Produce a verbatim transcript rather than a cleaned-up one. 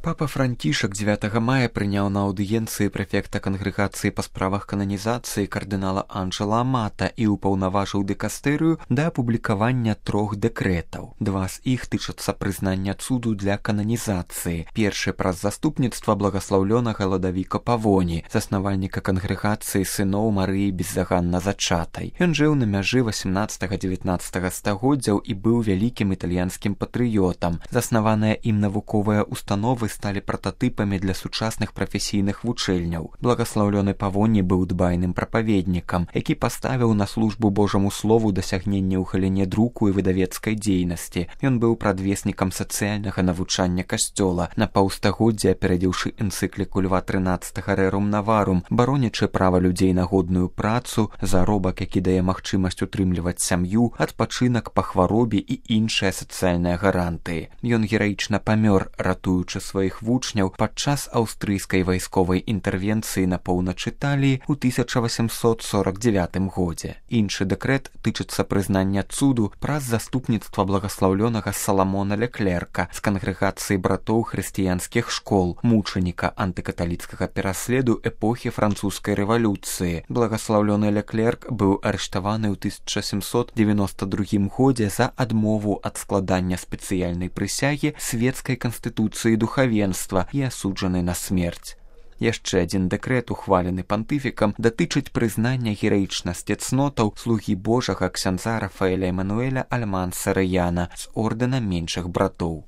Папа Францішак дзевятага мая прыняў на аўдыенцыі прэфекта кангрэгацыі па справах кананізацыі кардынала Анджела Амата і ўпаўнаважыў дэкастэрыю да апублікавання трох дэкрэтаў. Два з іх тычацца прызнання цуду для кананізацыі. Першы праз заступніцтва благаслаўлёнага Ладавіка Павоні, заснавальніка кангрэгацыі сыноў Марыі беззаганна зачатай. Ён жыў на мяжы васямнаццатага-дзевятнаццатага стагоддзяў і быў вялікім італьянскім патрыётам. Заснаваныя ім навуковыя установы сталі прататыпамі для сучасных прафесійных вучэльняў. Благаслаўлёны Павоні быў дбайным прапаведнікам, які паставіў на службу Божаму слову дасягненне ў галіне друку і выдавецкай дзейнасці. Ён быў прадвеснікам сацыяльнага навучання касцёла, на паўстагоддзя апярэдзіўшы энцыкліку Льва трынаццатага Рэрум Наварум, баронячы права людзей на годную працу, заробак, які дае магчымасць утрымліваць сям'ю, адпачынак па хваробе і іншыя сацыяльныя гарантыі. Ён гераічна памёр, ратуючы свае сваіх вучняў падчас аўстрыйскай вайсковай інтэрвенцыі на поўначы Італіі ў тысяча васямсот сорак дзевятым годзе. Іншы дэкрэт тычыцца прызнання цуду праз заступніцтва благаслаўлёнага Саламона Леклерка з кангрэгацыі братоў хрысціянскіх школ, мучаніка антыкаталіцкага пераследу эпохі французскай рэвалюцыі. Благаслаўлёны Леклерк быў арыштаваны ў тысяча сямсот дзевяноста другім годзе за адмову ад складання спецыяльнай прысягі свецкай канстытуцыі духавенства і асуджаны на смерць. Яшчэ адзін дэкрэт, ухвалены пантыфікам, датычыць прызнання гераічнасці цнотаў слугі Божага ксяндза Рафаэля Эмануэля Альмансарыяна з ордэна меншых братоў.